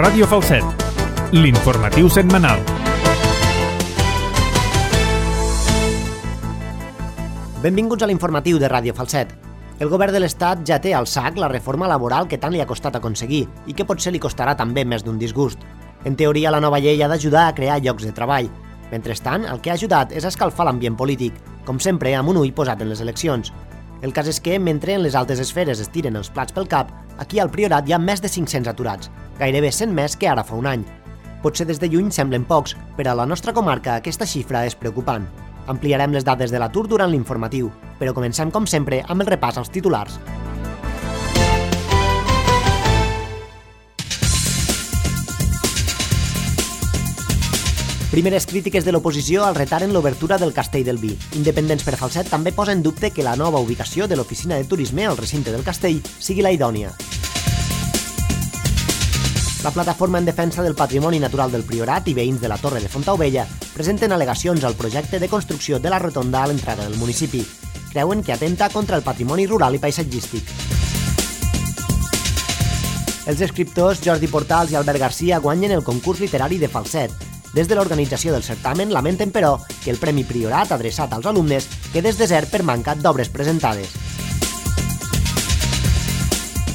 Ràdio Falset, l'informatiu setmanal. Benvinguts a l'informatiu de Ràdio Falset. El govern de l'Estat ja té al sac la reforma laboral que tant li ha costat aconseguir i que potser li costarà també més d'un disgust. En teoria, la nova llei ha d'ajudar a crear llocs de treball. Mentrestant, el que ha ajudat és a escalfar l'ambient polític, com sempre amb un ull posat en les eleccions. El cas és que, mentre en les altes esferes es tiren els plats pel cap, aquí al Priorat hi ha més de 500 aturats, gairebé 100 més que ara fa un any. Potser des de lluny semblen pocs, però a la nostra comarca aquesta xifra és preocupant. Ampliarem les dades de l'atur durant l'informatiu, però comencem com sempre amb el repàs als titulars. Primeres crítiques de l'oposició al retard en l'obertura del Castell del Vi. Independents per Falset també posa en dubte que la nova ubicació de l'oficina de turisme al recinte del castell sigui la idònia. La plataforma en defensa del patrimoni natural del Priorat i veïns de la Torre de Fontaubella presenten al·legacions al projecte de construcció de la rotonda a l'entrada del municipi. Creuen que atenta contra el patrimoni rural i paisatgístic. Els escriptors Jordi Portals i Albert Garcia guanyen el concurs literari de Falset. Des de l'organització del certamen lamenten, però, que el Premi Priorat adreçat als alumnes quedés desert per manca d'obres presentades.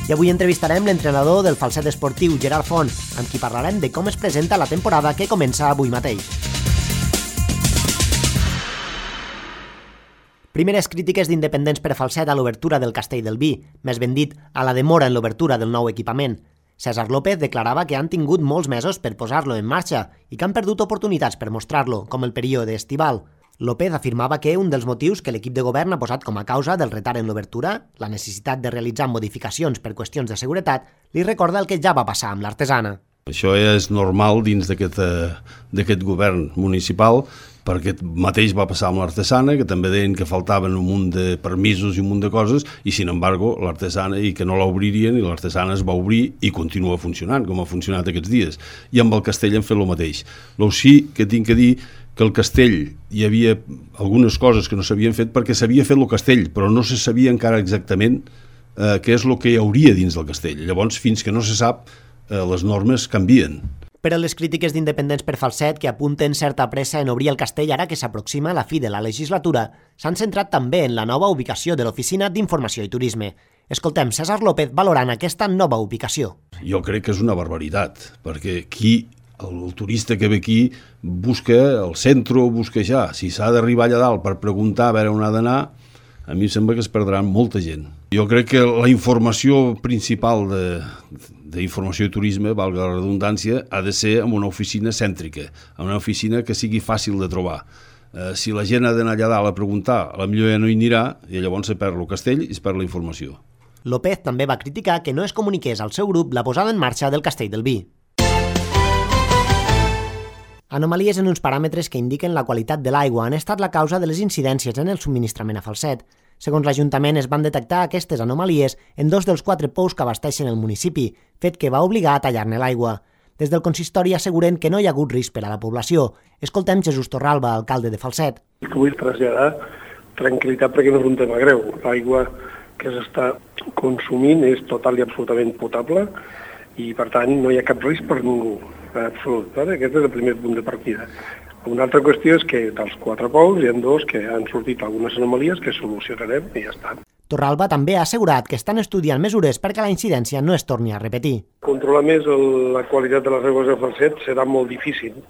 I avui entrevistarem l'entrenador del Falset esportiu, Gerard Font, amb qui parlarem de com es presenta la temporada que comença avui mateix. Primeres crítiques d'independents per Falset a l'obertura del Castell del Vi, més ben dit, a la demora en l'obertura del nou equipament. César López declarava que han tingut molts mesos per posar-lo en marxa i que han perdut oportunitats per mostrar-lo, com el període estival. López afirmava que un dels motius que l'equip de govern ha posat com a causa del retard en l'obertura, la necessitat de realitzar modificacions per qüestions de seguretat, li recorda el que ja va passar amb l'artesana. Això és normal dins d'aquest govern municipal, perquè mateix va passar amb l'artesana, que també deien que faltaven un munt de permisos i un munt de coses, i sin embargo l'artesana, i que no l'obririen, i l'artesana es va obrir i continua funcionant, com ha funcionat aquests dies. I amb el castell han fet el mateix. Lo sí que tinc que dir que al castell hi havia algunes coses que no s'havien fet perquè s'havia fet el castell, però no se sabia encara exactament què és el que hi hauria dins del castell. Llavors, fins que no se sap, les normes canvien. Però les crítiques d'independents per Falset, que apunten certa pressa en obrir el castell ara que s'aproxima la fi de la legislatura, s'han centrat també en la nova ubicació de l'Oficina d'Informació i Turisme. Escoltem César López valorant aquesta nova ubicació. Jo crec que és una barbaritat, perquè el turista que ve aquí busca el centre o busca ja. Si s'ha d'arribar allà dalt per preguntar a veure on ha d'anar, a mi em sembla que es perdrà molta gent. Jo crec que la informació principal d'informació i turisme, valga la redundància, ha de ser en una oficina cèntrica, en una oficina que sigui fàcil de trobar. Si la gent ha d'anar allà dalt a preguntar, potser ja no hi anirà i llavors se perd el castell i es perd la informació. López també va criticar que no es comuniqués al seu grup la posada en marxa del Castell del Vi. Anomalies en uns paràmetres que indiquen la qualitat de l'aigua han estat la causa de les incidències en el subministrament a Falset. Segons l'Ajuntament, es van detectar aquestes anomalies en 2 dels 4 pous que abasteixen el municipi, fet que va obligar a tallar-ne l'aigua. Des del consistori asseguren que no hi ha hagut risc per a la població. Escoltem Jesús Torralba, alcalde de Falset. Vull traslladar tranquil·litat perquè no és un tema greu. L'aigua que s'està consumint és total i absolutament potable i, per tant, no hi ha cap risc per ningú. Absolut. Aquest és el primer punt de partida. Una altra qüestió és que dels 4 pous hi ha 2 que han sortit algunes anomalies que solucionarem i ja està. Torralba també ha assegurat que estan estudiant mesures perquè la incidència no es torni a repetir. Controlar més la qualitat de les aigües de Falset serà molt difícil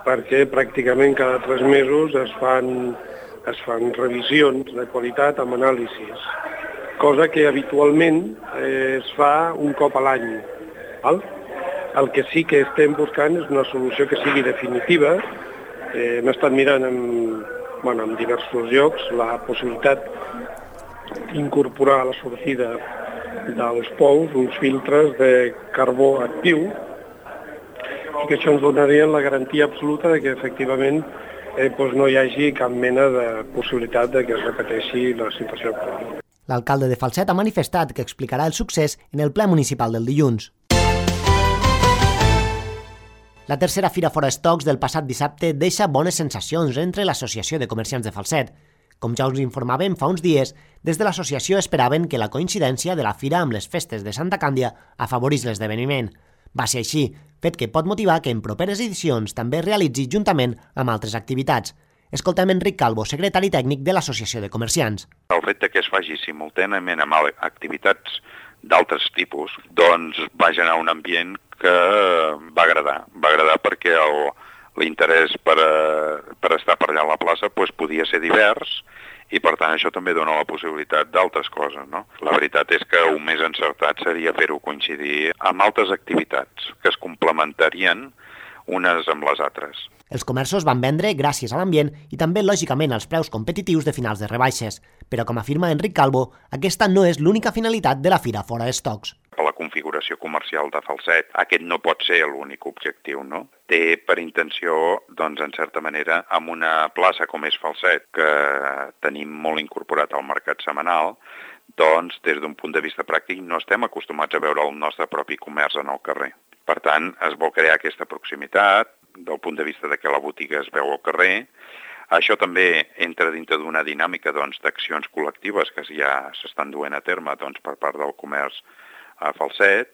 perquè pràcticament cada 3 mesos es fan revisions de qualitat amb anàlisis, cosa que habitualment es fa un cop a l'any. El que sí que estem buscant és una solució que sigui definitiva. Hem estat mirant en diversos llocs la possibilitat d'incorporar a la sortida dels pous uns filtres de carbó actiu i que això ens donaria la garantia absoluta de que efectivament no hi hagi cap mena de possibilitat de que es repeteixi la situació actual. L'alcalde de Falset ha manifestat que explicarà el succés en el ple municipal del dilluns. La tercera Fira Forestox del passat dissabte deixa bones sensacions entre l'Associació de Comerciants de Falset. Com ja us informàvem fa uns dies, des de l'associació esperaven que la coincidència de la fira amb les festes de Santa Càndia afavorís l'esdeveniment. Va ser així, fet que pot motivar que en properes edicions també es realitzi juntament amb altres activitats. Escoltem Enric Calvo, secretari tècnic de l'Associació de Comerciants. El fet que es faci simultàniament amb activitats d'altres tipus, doncs va generar un ambient que va agradar. Va agradar perquè l'interès per estar per allà a la plaça podia ser divers i per tant això també dona la possibilitat d'altres coses, no? La veritat és que un més encertat seria fer-ho coincidir amb altres activitats que es complementarien unes amb les altres. Els comerços van vendre gràcies a l'ambient i també, lògicament, als preus competitius de finals de rebaixes. Però, com afirma Enric Calvo, aquesta no és l'única finalitat de la Fira Fora d'Estocs. Per la configuració comercial de Falset, aquest no pot ser l'únic objectiu, no? Té per intenció, doncs, en certa manera, amb una plaça com és Falset, que tenim molt incorporat al mercat setmanal, doncs, des d'un punt de vista pràctic, no estem acostumats a veure el nostre propi comerç en el carrer. Per tant, es vol crear aquesta proximitat, del punt de vista de que la botiga es veu al carrer. Això també entra dintre d'una dinàmica d'accions col·lectives que ja s'estan duent a terme per part del comerç a Falset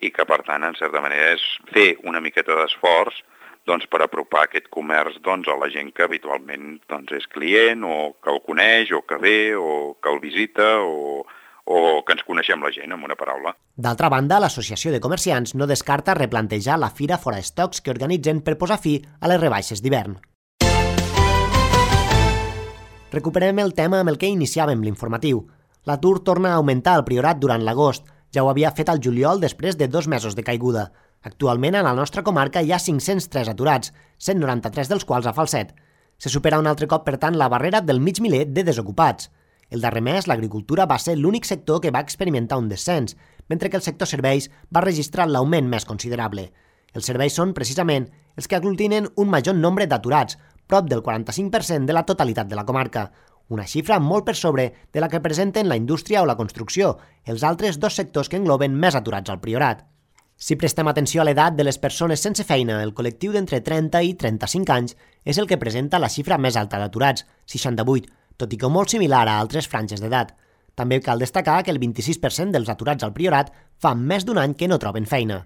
i que, per tant, en certa manera és fer una miqueta d'esforç per apropar aquest comerç a la gent que habitualment és client o que el coneix o que ve o que el visita o que ens coneixem la gent, amb una paraula. D'altra banda, l'Associació de Comerciants no descarta replantejar la Fira Fora d'Estocs que organitzen per posar fi a les rebaixes d'hivern. Recuperem el tema amb el que iniciàvem l'informatiu. L'atur torna a augmentar al Priorat durant l'agost. Ja ho havia fet al juliol després de 2 mesos de caiguda. Actualment, a la nostra comarca hi ha 503 aturats, 193 dels quals a Falset. Se supera un altre cop, per tant, la barrera del mig miler de desocupats. El darrer mes, l'agricultura va ser l'únic sector que va experimentar un descens, mentre que el sector serveis va registrar l'augment més considerable. Els serveis són, precisament, els que aglutinen un major nombre d'aturats, prop del 45% de la totalitat de la comarca, una xifra molt per sobre de la que presenten la indústria o la construcció, els altres 2 sectors que engloben més aturats al Priorat. Si prestem atenció a l'edat de les persones sense feina, el col·lectiu d'entre 30 i 35 anys és el que presenta la xifra més alta d'aturats, 68, tot i que molt similar a altres franges d'edat. També cal destacar que el 26% dels aturats al Priorat fa més d'un any que no troben feina.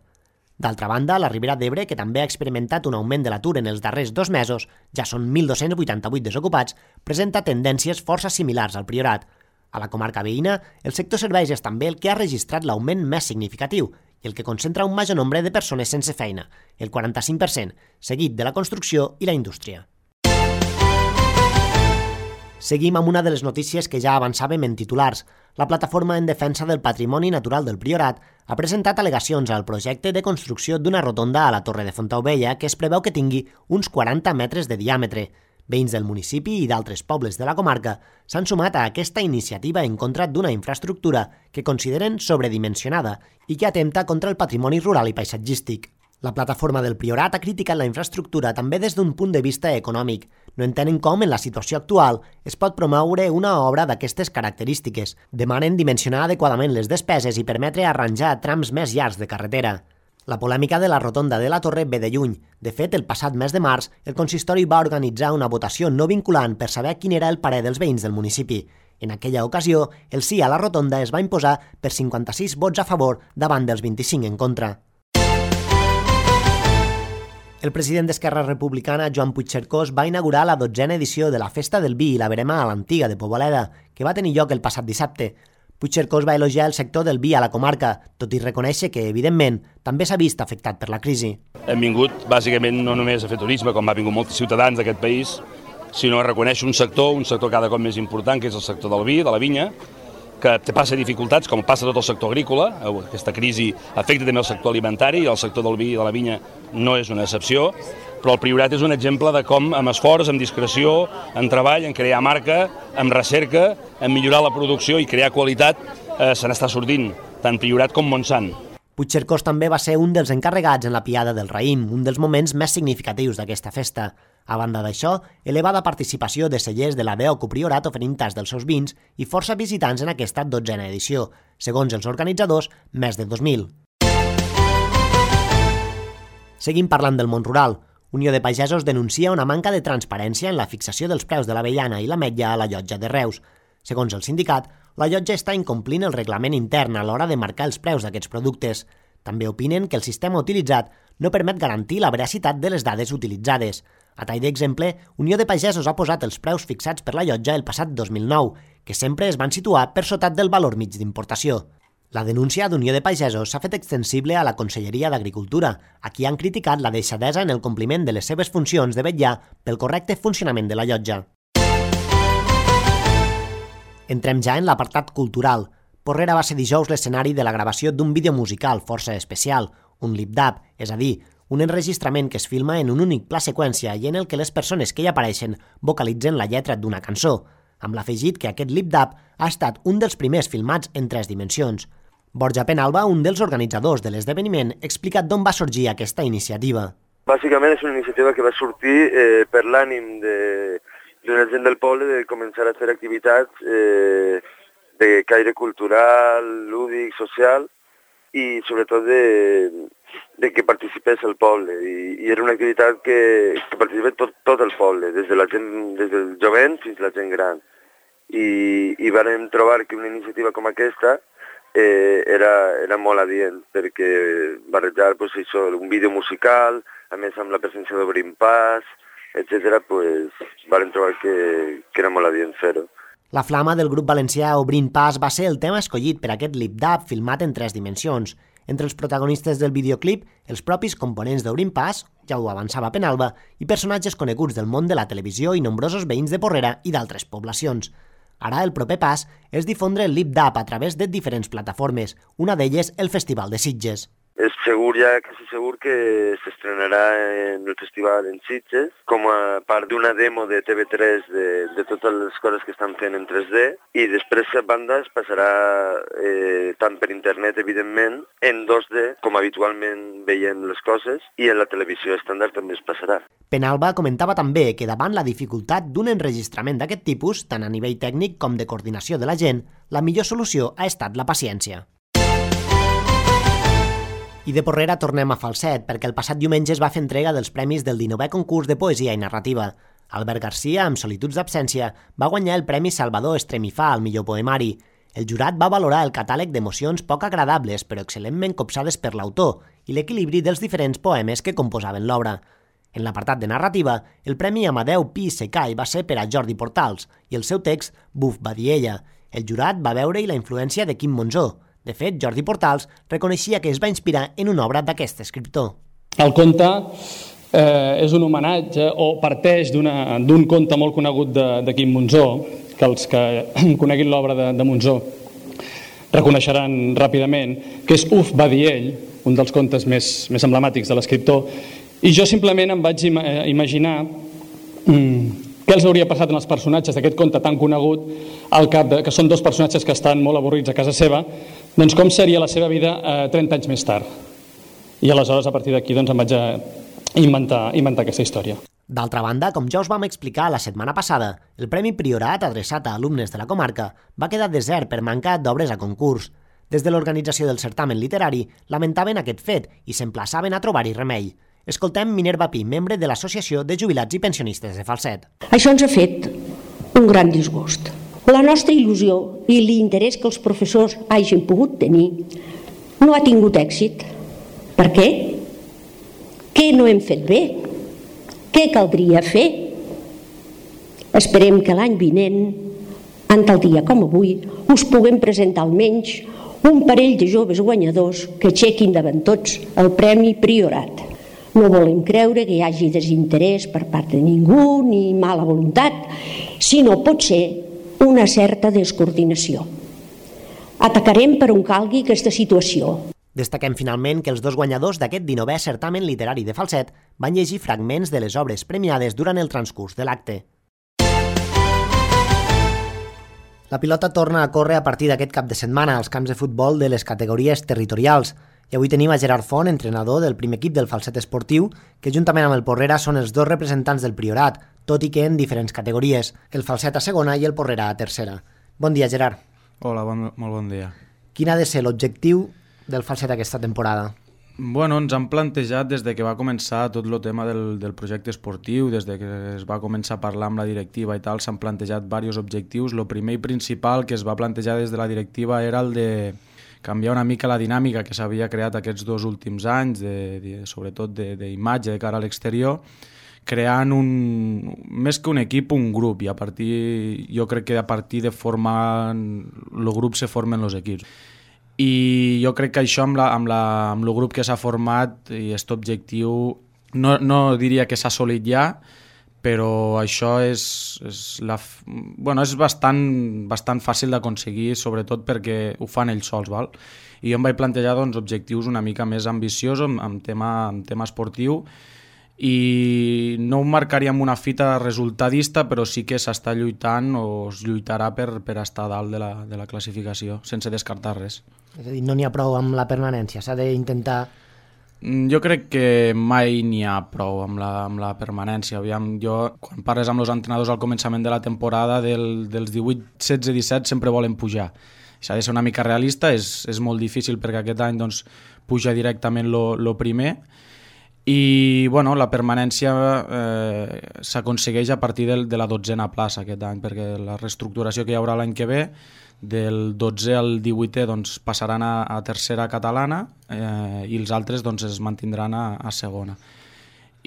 D'altra banda, la Ribera d'Ebre, que també ha experimentat un augment de l'atur en els darrers 2 mesos, ja són 1.288 desocupats, presenta tendències força similars al Priorat. A la comarca veïna, el sector serveis és també el que ha registrat l'augment més significatiu i el que concentra un major nombre de persones sense feina, el 45%, seguit de la construcció i la indústria. Seguim amb una de les notícies que ja avançàvem en titulars. La Plataforma en Defensa del Patrimoni Natural del Priorat ha presentat al·legacions al projecte de construcció d'una rotonda a la Torre de Fontaubella que es preveu que tingui uns 40 metres de diàmetre. Veïns del municipi i d'altres pobles de la comarca s'han sumat a aquesta iniciativa en contra d'una infraestructura que consideren sobredimensionada i que atempta contra el patrimoni rural i paisatgístic. La Plataforma del Priorat ha criticat la infraestructura també des d'un punt de vista econòmic. No entenen com, en la situació actual, es pot promoure una obra d'aquestes característiques. Demanen dimensionar adequadament les despeses i permetre arranjar trams més llargs de carretera. La polèmica de la rotonda de la Torre ve de lluny. De fet, el passat mes de març, el consistori va organitzar una votació no vinculant per saber quin era el parer dels veïns del municipi. En aquella ocasió, el sí a la rotonda es va imposar per 56 vots a favor davant dels 25 en contra. El president d'Esquerra Republicana, Joan Puigcercós, va inaugurar la 12a edició de la Festa del Vi i la Verema a l'Antiga de Poboleda, que va tenir lloc el passat dissabte. Puigcercós va elogiar el sector del vi a la comarca, tot i reconèixer que, evidentment, també s'ha vist afectat per la crisi. Hem vingut, bàsicament, no només a fer turisme, com ha vingut molts ciutadans d'aquest país, sinó a reconèixer un sector cada cop més important, que és el sector del vi, de la vinya, que passa dificultats, com passa tot el sector agrícola. Aquesta crisi afecta també el sector alimentari i el sector del vi i de la vinya no és una excepció, però el Priorat és un exemple de com, amb esforç, amb discreció, en treball, en crear marca, amb recerca, en millorar la producció i crear qualitat, se n'està sortint, tant Priorat com Montsant. Puigcercós també va ser un dels encarregats en la Piada del Raïm, un dels moments més significatius d'aquesta festa. A banda d'això, elevada participació de cellers de la DEOC Priorat oferint tas dels seus vins i força visitants en aquesta 12a edició, segons els organitzadors, més de 2.000. Seguim parlant del món rural. Unió de Pagesos denuncia una manca de transparència en la fixació dels preus de l'avellana i l'ametlla a la llotja de Reus. Segons el sindicat, la llotja està incomplint el reglament intern a l'hora de marcar els preus d'aquests productes. També opinen que el sistema utilitzat no permet garantir la veracitat de les dades utilitzades. A tall d'exemple, Unió de Pagesos ha posat els preus fixats per la llotja el passat 2009, que sempre es van situar per sota del valor mig d'importació. La denúncia d'Unió de Pagesos s'ha fet extensible a la Conselleria d'Agricultura, a qui han criticat la deixadesa en el compliment de les seves funcions de vetllar pel correcte funcionament de la llotja. Entrem ja en l'apartat cultural. Porrera va ser dijous l'escenari de la gravació d'un vídeo musical força especial, un lip-dub, és a dir, un enregistrament que es filma en un únic pla seqüència i en el que les persones que hi apareixen vocalitzen la lletra d'una cançó, amb l'afegit que aquest lip-dub ha estat un dels primers filmats en 3 dimensions. Borja Penalba, un dels organitzadors de l'esdeveniment, explica d'on va sorgir aquesta iniciativa. Bàsicament és una iniciativa que va sortir per l'ànim d'una gent del poble de començar a fer activitats de caire cultural, lúdic, social i sobretot de que participés el poble. I era una activitat que participés tot el poble, des del jovent fins a la gent gran. I vam trobar que una iniciativa com aquesta era molt adient perquè barrejar un vídeo musical, a més amb la presència d'Obrim Pas, etc., vam trobar que era molt adient fer-ho. La flama del grup valencià Obrint Pas va ser el tema escollit per aquest lip-dub filmat en 3 dimensions. Entre els protagonistes del videoclip, els propis components d'Obrint Pas, ja ho avançava Penalba, i personatges coneguts del món de la televisió i nombrosos veïns de Porrera i d'altres poblacions. Ara el proper pas és difondre el lip-dub a través de diferents plataformes, una d'elles el Festival de Sitges. És segur, quasi segur que s'estrenarà en el festival en Sitges com a part d'una demo de TV3 de totes les coses que estan fent en 3D i després a banda es passarà tant per internet, evidentment, en 2D, com habitualment veiem les coses, i en la televisió estàndard també es passarà. Penalba comentava també que davant la dificultat d'un enregistrament d'aquest tipus, tant a nivell tècnic com de coordinació de la gent, la millor solució ha estat la paciència. I de Porrera tornem a Falset, perquè el passat diumenge es va fer entrega dels premis del 19è concurs de poesia i narrativa. Albert Garcia, amb Solituds d'absència, va guanyar el Premi Salvador Estremifà al millor poemari. El jurat va valorar el catàleg d'emocions poc agradables però excel·lentment copsades per l'autor i l'equilibri dels diferents poemes que composaven l'obra. En l'apartat de narrativa, el Premi Amadeu Pi Secai va ser per a Jordi Portals i el seu text Buf, va dir ella. El jurat va veure-hi la influència de Quim Monzó. De fet, Jordi Portals reconeixia que es va inspirar en una obra d'aquest escriptor. El conte és un homenatge o parteix d'un conte molt conegut de Quim Monzó, que els que coneguin l'obra de Monzó reconeixeran ràpidament, que és Uf, va dir ell, un dels contes més emblemàtics de l'escriptor, i jo simplement em vaig imaginar què els hauria passat en els personatges d'aquest conte tan conegut al cap que són 2 personatges que estan molt avorrits a casa seva, doncs com seria la seva vida 30 anys més tard. I aleshores, a partir d'aquí, em vaig inventar aquesta història. D'altra banda, com ja us vam explicar la setmana passada, el Premi Priorat, adreçat a alumnes de la comarca, va quedar desert per manca d'obres a concurs. Des de l'organització del certamen literari lamentaven aquest fet i s'emplaçaven a trobar-hi remei. Escoltem Minerva Pi, membre de l'Associació de Jubilats i Pensionistes de Falset. Això ens ha fet un gran disgust. La nostra il·lusió i l'interès que els professors hagin pogut tenir no ha tingut èxit. Per què? Què no hem fet bé? Què caldria fer? Esperem que l'any vinent, en tal dia com avui, us puguem presentar almenys un parell de joves guanyadors que aixequin davant tots el Premi Priorat. No volem creure que hi hagi desinterès per part de ningú ni mala voluntat, sinó pot ser una certa descoordinació. Atacarem per on calgui aquesta situació. Destaquem finalment que els 2 guanyadors d'aquest 19è certamen literari de Falset van llegir fragments de les obres premiades durant el transcurs de l'acte. La pilota torna a córrer a partir d'aquest cap de setmana als camps de futbol de les categories territorials. I avui tenim a Gerard Font, entrenador del primer equip del Falset Esportiu, que juntament amb el Porrera són els 2 representants del Priorat, tot i que en diferents categories, el Falset a segona i el Porrera a tercera. Bon dia, Gerard. Hola, molt bon dia. Quin ha de ser l'objectiu del Falset aquesta temporada? Bueno, ens han plantejat des de que va començar tot el tema del projecte esportiu, des de que es va començar a parlar amb la directiva i tal, s'han plantejat diversos objectius. El primer i principal que es va plantejar des de la directiva era el de canviar una mica la dinàmica que s'havia creat aquests 2 últims anys, sobretot d'imatge de cara a l'exterior, creant més que un equip, un grup, i jo crec que a partir de formar el grup se formen els equips. I jo crec que això amb el grup que s'ha format i aquest objectiu no diria que s'ha assolit ja, però això és bastant fàcil d'aconseguir, sobretot perquè ho fan ells sols, val? I jo em vaig plantejar objectius una mica més ambiciosos en tema esportiu, i no ho marcaria amb una fita resultadista, però sí que s'està lluitant o es lluitarà per estar a dalt de la classificació, sense descartar res. És a dir, no n'hi ha prou amb la permanència, s'ha d'intentar... Jo crec que mai n'hi ha prou amb la permanència. Quan parles amb els entrenadors al començament de la temporada, dels 18, 16, 17 sempre volen pujar. S'ha de ser una mica realista, és molt difícil perquè aquest any puja directament lo primer, i la permanència s'aconsegueix a partir de la 12a plaça aquest any, perquè la reestructuració que hi haurà l'any que ve, del 12è al 18è passaran a tercera catalana, i els altres es mantindran a segona.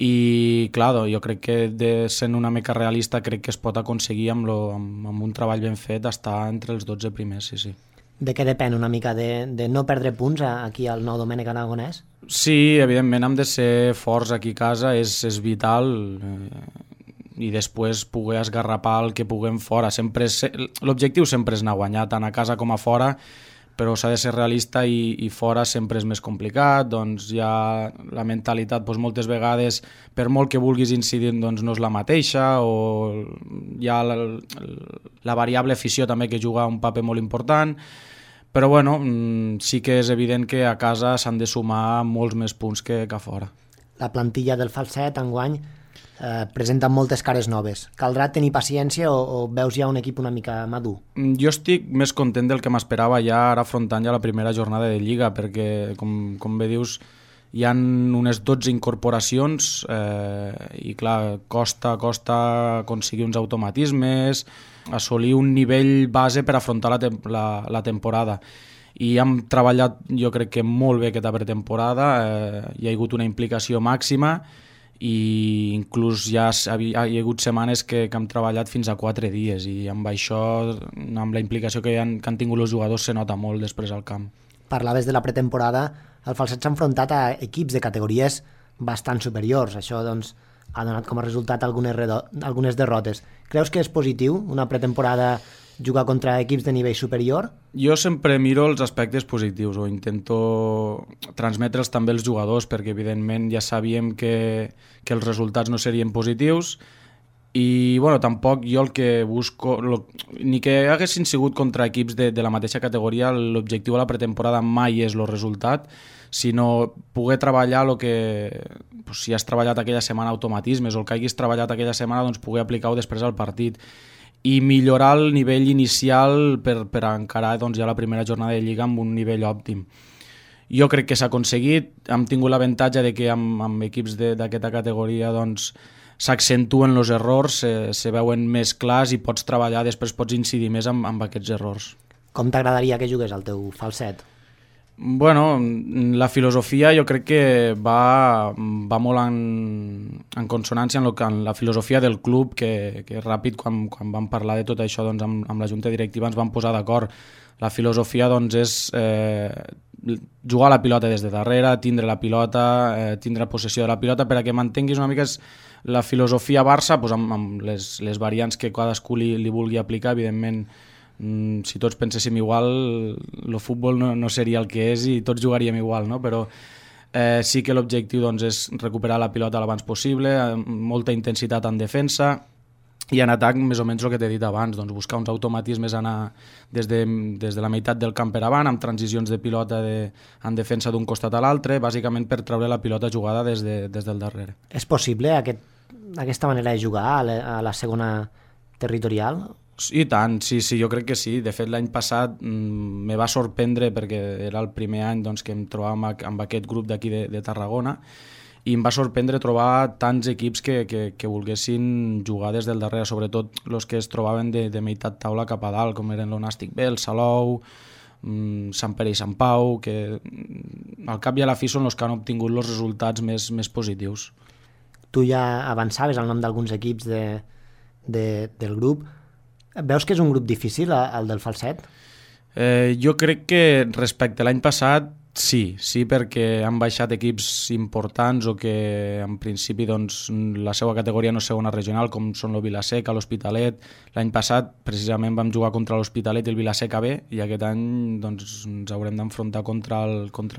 I clar, jo crec que sent una mica realista crec que es pot aconseguir amb un treball ben fet estar entre els 12 primers, sí. De què depèn una mica? De no perdre punts aquí al Nou Domènec Aragonès? Sí, evidentment hem de ser forts aquí a casa, és vital, i després poder esgarrapar el que puguem fora. L'objectiu sempre és anar a guanyar, tant a casa com a fora, però s'ha de ser realista i fora sempre és més complicat, hi ha la mentalitat moltes vegades, per molt que vulguis incidir, no és la mateixa, o hi ha la variable afició també que juga un paper molt important, però sí que és evident que a casa s'han de sumar molts més punts que a fora. La plantilla del Falset enguany presenta moltes cares noves. Caldrà tenir paciència o veus ja un equip una mica madur? Jo estic més content del que m'esperava ja ara afrontant ja la primera jornada de Lliga, perquè com bé dius hi ha unes 12 incorporacions, i clar, costa aconseguir uns automatismes, assolir un nivell base per afrontar la temporada. I hem treballat, jo crec que molt bé aquesta pretemporada, hi ha hagut una implicació màxima, i inclús hi ha hagut setmanes que hem treballat fins a 4 dies, i amb això, amb la implicació que han tingut els jugadors, se nota molt després al camp. Parlaves de la pretemporada, el Falset s'ha enfrontat a equips de categories bastant superiors. Això ha donat com a resultat algunes derrotes. Creus que és positiu una pretemporada jugar contra equips de nivell superior? Jo sempre miro els aspectes positius, o intento transmetre'ls també als jugadors, perquè evidentment ja sabíem que els resultats no serien positius, i tampoc jo el que busco, ni que haguessin sigut contra equips de la mateixa categoria, l'objectiu a la pretemporada mai és el resultat, sinó poder treballar el que, si has treballat aquella setmana automatismes o el que hagis treballat aquella setmana, poder aplicar-ho després al partit i millorar el nivell inicial per encarar ja la primera jornada de Lliga amb un nivell òptim. Jo crec que s'ha aconseguit, hem tingut l'avantatge de que amb equips d'aquesta categoria s'accentuen els errors, se veuen més clars i pots treballar, després pots incidir més amb aquests errors. Com t'agradaria que jugués el teu Falset? La filosofia jo crec que va molt en consonància amb la filosofia del club, que ràpid, quan vam parlar de tot això amb la junta directiva, ens vam posar d'acord. La filosofia és jugar la pilota des de darrere, tindre la pilota, tindre possessió de la pilota, per a que mantinguis una mica la filosofia Barça, amb les variants que cadascú li vulgui aplicar. Evidentment, si tots penséssim igual, el futbol no seria el que és i tots jugaríem igual, no? Però sí que l'objectiu és recuperar la pilota l'abans possible, molta intensitat en defensa, i en atac més o menys el que t'he dit abans, buscar uns automatismes, anar des de la meitat del camp per avant, amb transicions de pilota en defensa d'un costat a l'altre, bàsicament per treure la pilota jugada des del darrere. És possible aquesta manera de jugar a la segona territorial? I tant, sí, jo crec que sí. De fet, l'any passat me va sorprendre, perquè era el primer any que em trobàvem amb aquest grup d'aquí de Tarragona, i em va sorprendre trobar tants equips que volguessin jugar des del darrere, sobretot els que es trobaven de meitat taula cap a dalt, com eren l'Onàstic B, el Salou, Sant Pere i Sant Pau, que al cap i a la fi són els que han obtingut els resultats més positius. Tu ja avançaves el nom d'alguns equips del grup. Veus que és un grup difícil, el del Falset? Jo crec que respecte a l'any passat sí, perquè han baixat equips importants o que en principi doncs, la seva categoria no és segona regional, com són el Vila-seca, l'Hospitalet. L'any passat precisament vam jugar contra l'Hospitalet i el Vila-seca B, i aquest any doncs, ens haurem d'enfrontar contra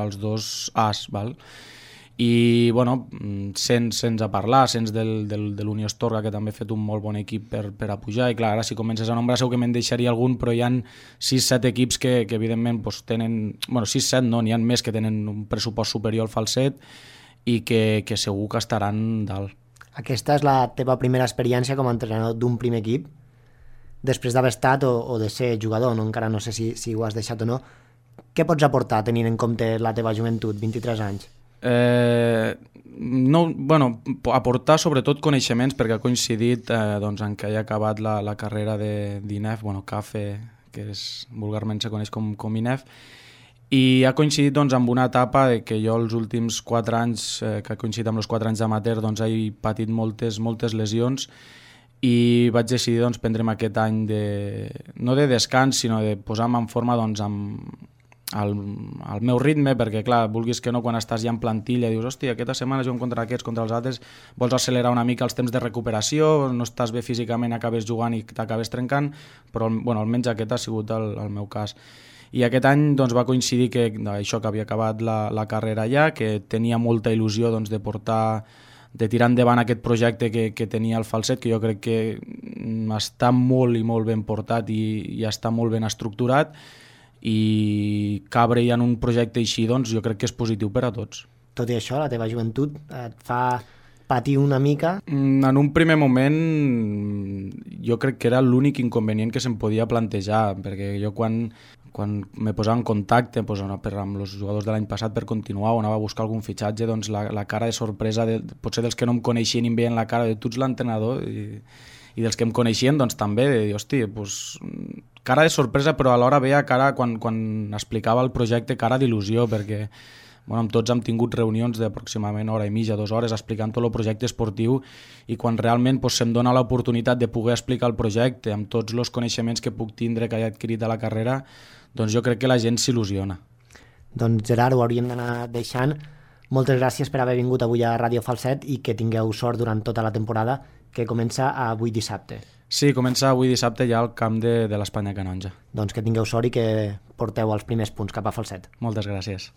els dos As, val? I bueno, sense parlar, sense de l'Unió Astorga, que també ha fet un molt bon equip per a pujar, i clar, ara si comences a nombrar segur que me'n deixaria algun, però hi ha 6-7 equips que evidentment doncs, tenen, bueno, 6-7 no, n'hi ha més que tenen un pressupost superior al Falset i que segur que estaran dalt. Aquesta és la teva primera experiència com a entrenador d'un primer equip, després d'haver estat o de ser jugador, no? Encara no sé si ho has deixat o no. Què pots aportar tenint en compte la teva joventut, 23 anys? No, bueno, aportar sobretot coneixements, perquè ha coincidit doncs, en què he acabat la carrera d'INEF, bueno, CAFE, que vulgarment se coneix com INEF, i ha coincidit doncs, amb una etapa que jo els últims 4 anys, que ha coincidit amb els 4 anys d'amateur, doncs, he patit moltes lesions, i vaig decidir doncs, prendre'm aquest any no de descans, sinó de posar-me en forma doncs, al meu ritme, perquè clar, vulguis que no, quan estàs ja en plantilla dius, hòstia, aquesta setmana juguem contra aquests, contra els altres, vols accelerar una mica els temps de recuperació, no estàs bé físicament, acabes jugant i t'acabes trencant, però bueno, almenys aquest ha sigut el meu cas. I aquest any doncs, va coincidir que això, que havia acabat la carrera ja, que tenia molta il·lusió doncs, de tirar endavant aquest projecte que tenia el Falset, que jo crec que està molt i molt ben portat i està molt ben estructurat, i cabre ja en un projecte així, doncs jo crec que és positiu per a tots. Tot i això, la teva joventut et fa patir una mica? En un primer moment jo crec que era l'únic inconvenient que se'm podia plantejar, perquè jo quan me posava en contacte amb els jugadors de l'any passat per continuar o anava a buscar algun fitxatge, doncs la cara de sorpresa, potser dels que no em coneixien i em veien la cara de tu ets l'entrenador, i dels que em coneixien doncs també, de dir, hòstia, doncs, cara de sorpresa, però alhora veia cara, quan explicava el projecte, cara d'il·lusió, perquè bueno, amb tots hem tingut reunions d'aproximadament hora i mitja, 2 hores, explicant tot el projecte esportiu, i quan realment doncs, se'm dona l'oportunitat de poder explicar el projecte amb tots els coneixements que puc tindre, que he adquirit a la carrera, doncs jo crec que la gent s'il·lusiona. Doncs Gerard, ho hauríem d'anar deixant. Moltes gràcies per haver vingut avui a Ràdio Falset i que tingueu sort durant tota la temporada, que comença avui dissabte. Sí, comença avui dissabte ja al camp de l'Espanya Canonja. Doncs que tingueu sort i que porteu els primers punts cap a Falset. Moltes gràcies.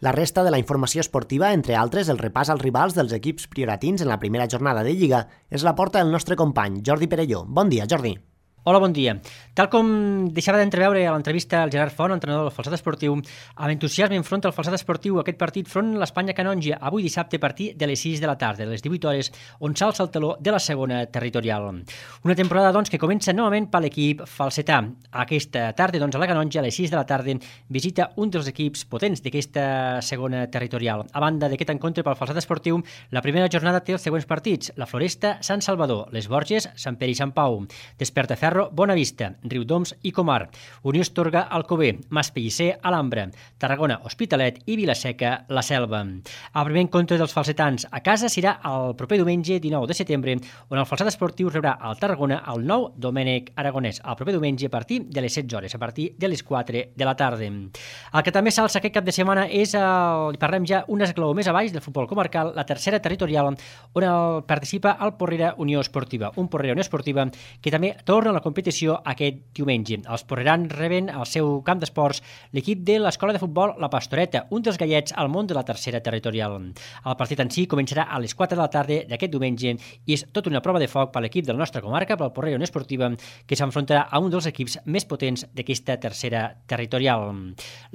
La resta de la informació esportiva, entre altres el repàs als rivals dels equips prioratins en la primera jornada de Lliga, és la porta del nostre company, Jordi Perelló. Bon dia, Jordi. Hola, bon dia. Tal com deixava d'entreveure a l'entrevista al Gerard Font, entrenador del Falset Esportiu, amb entusiasme enfronta el Falset Esportiu aquest partit front a l'Espanya Canonja, avui dissabte a partir de les 6 de la tarda, a les 18 hores, on s'alça el teló de la segona territorial. Una temporada, doncs, que comença novament per l'equip falsetà. Aquesta tarda, doncs, a la Canonja, a les 6 de la tarda, visita un dels equips potents d'aquesta segona territorial. A banda d'aquest encontre pel Falset Esportiu, la primera jornada té els següents partits: la Floresta, Sant Salvador, les Borges, Sant Pere i Sant Pau, Desperta Ferro, Bonavista, Riudoms i Comar, Unió Astorga, Alcover, Maspellisser, Alhambra, Tarragona, Hospitalet i Vila-seca, La Selva. El primer encontre dels falsetans a casa serà el proper diumenge 19 de setembre, on el Falset Esportiu rebrà al Tarragona el nou Domènec Aragonès, el proper diumenge a partir de les 16 hores, a partir de les 4 de la tarda. El que també s'alça aquest cap de setmana és, parlem ja un esglaó més a baix del futbol comarcal, la tercera territorial, on participa el Porrera Unió Esportiva, un Porrera Unió Esportiva que també torna a la competició aquest diumenge. Els porrerans reben al seu camp d'esports l'equip de l'Escola de Futbol La Pastoreta, un dels gallets al món de la tercera territorial. El partit en si començarà a les 4 de la tarda d'aquest diumenge i és tota una prova de foc per l'equip de la nostra comarca, pel Porrera Unió Esportiva, que s'enfrontarà a un dels equips més potents d'aquesta tercera territorial.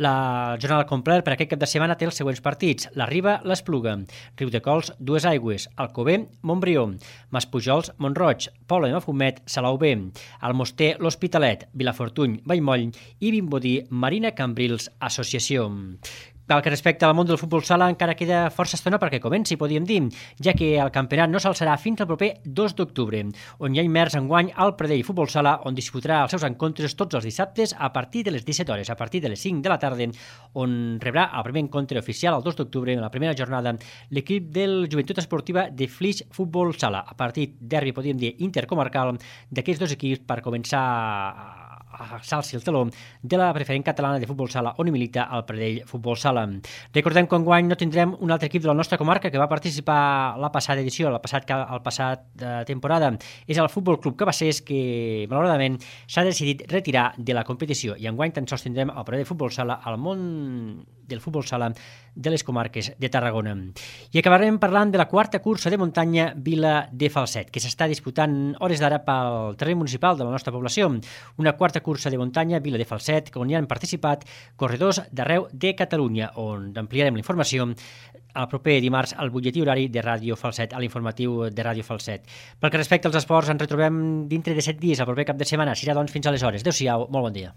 La jornada al complet per aquest cap de setmana té els següents partits: la Riba, l'Espluga, Riudecols, Dues Aigües, Alcover, Montbrió, Maspujols, Montroig, Poble de Mafumet, Salou B, Almoster, l'Hospitalet, Vilafortuny, Vallmoll i Vimbodí, Marina Cambrils Associació. Pel que respecta al món del futbol sala, encara queda força estona perquè comenci, podríem dir, ja que el campionat no s'alçarà fins al proper 2 d'octubre, on hi ha immers enguany al Pradell Futbol Sala, on disputarà els seus encontres tots els dissabtes a partir de les 17 hores, a partir de les 5 de la tarda, on rebrà el primer encontre oficial el 2 d'octubre, en la primera jornada, l'equip del Joventut Esportiva de Flix Futbol Sala, a partir derbi, podríem dir, intercomarcal d'aquests dos equips per començar a alçar-se el taló de la preferent catalana de futbol sala on hi milita el Pradell Futbol Sala. Recordem que enguany no tindrem un altre equip de la nostra comarca que va participar la passada edició, el passat temporada. És el Futbol Club Cabassers que, malauradament, s'ha decidit retirar de la competició i enguany tan sols tindrem el Pradell Futbol Sala al món del futbol sala de les comarques de Tarragona. I acabarem parlant de la quarta cursa de muntanya Vila de Falset, que s'està disputant hores d'ara pel terreny municipal de la nostra població. Una quarta cursa de muntanya Vila de Falset, on hi han participat corredors d'arreu de Catalunya, on ampliarem la informació el proper dimarts al butlletí horari de Ràdio Falset, a l'informatiu de Ràdio Falset. Pel que respecta als esports, ens retrobem dintre de 7 dies, el proper cap de setmana. Serà, doncs, fins aleshores. Adéu-siau, molt bon dia.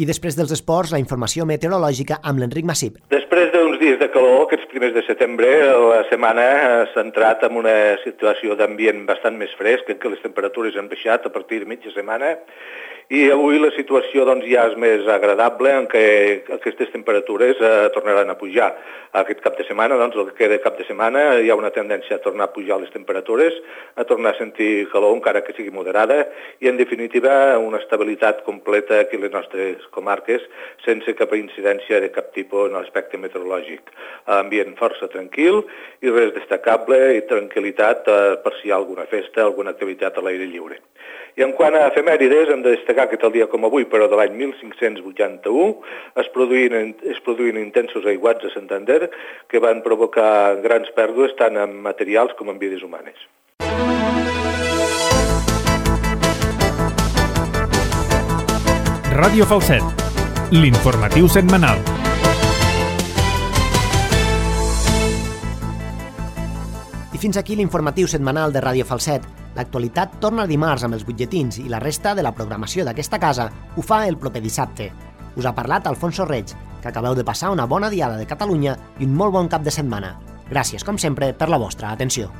I després dels esports, la informació meteorològica amb l'Enric Massip. Després d'uns dies de calor, aquests primers de setembre, la setmana s'ha entrat en una situació d'ambient bastant més fresc, en què les temperatures han baixat a partir de mitja setmana, i avui la situació doncs, ja és més agradable, en què aquestes temperatures tornaran a pujar. Aquest cap de setmana, doncs, el que queda cap de setmana, hi ha una tendència a tornar a pujar les temperatures, a tornar a sentir calor, encara que sigui moderada, i en definitiva una estabilitat completa aquí a les nostres comarques, sense cap incidència de cap tipus en l'aspecte meteorològic. Ambient força tranquil i res destacable i tranquil·litat per si hi ha alguna festa, alguna activitat a l'aire lliure. I en quant a efemèrides, hem de destacar que tal dia com avui, però de l'any 1581, es produïen intensos aiguats a Santander que van provocar grans pèrdues tant en materials com en vides humanes. Ràdio Falset, l'informatiu setmanal. I fins aquí l'informatiu setmanal de Ràdio Falset. L'actualitat torna dimarts amb els butlletins i la resta de la programació d'aquesta casa ho fa el proper dissabte. Us ha parlat Alfonso Reig, que acabeu de passar una bona diada de Catalunya i un molt bon cap de setmana. Gràcies, com sempre, per la vostra atenció.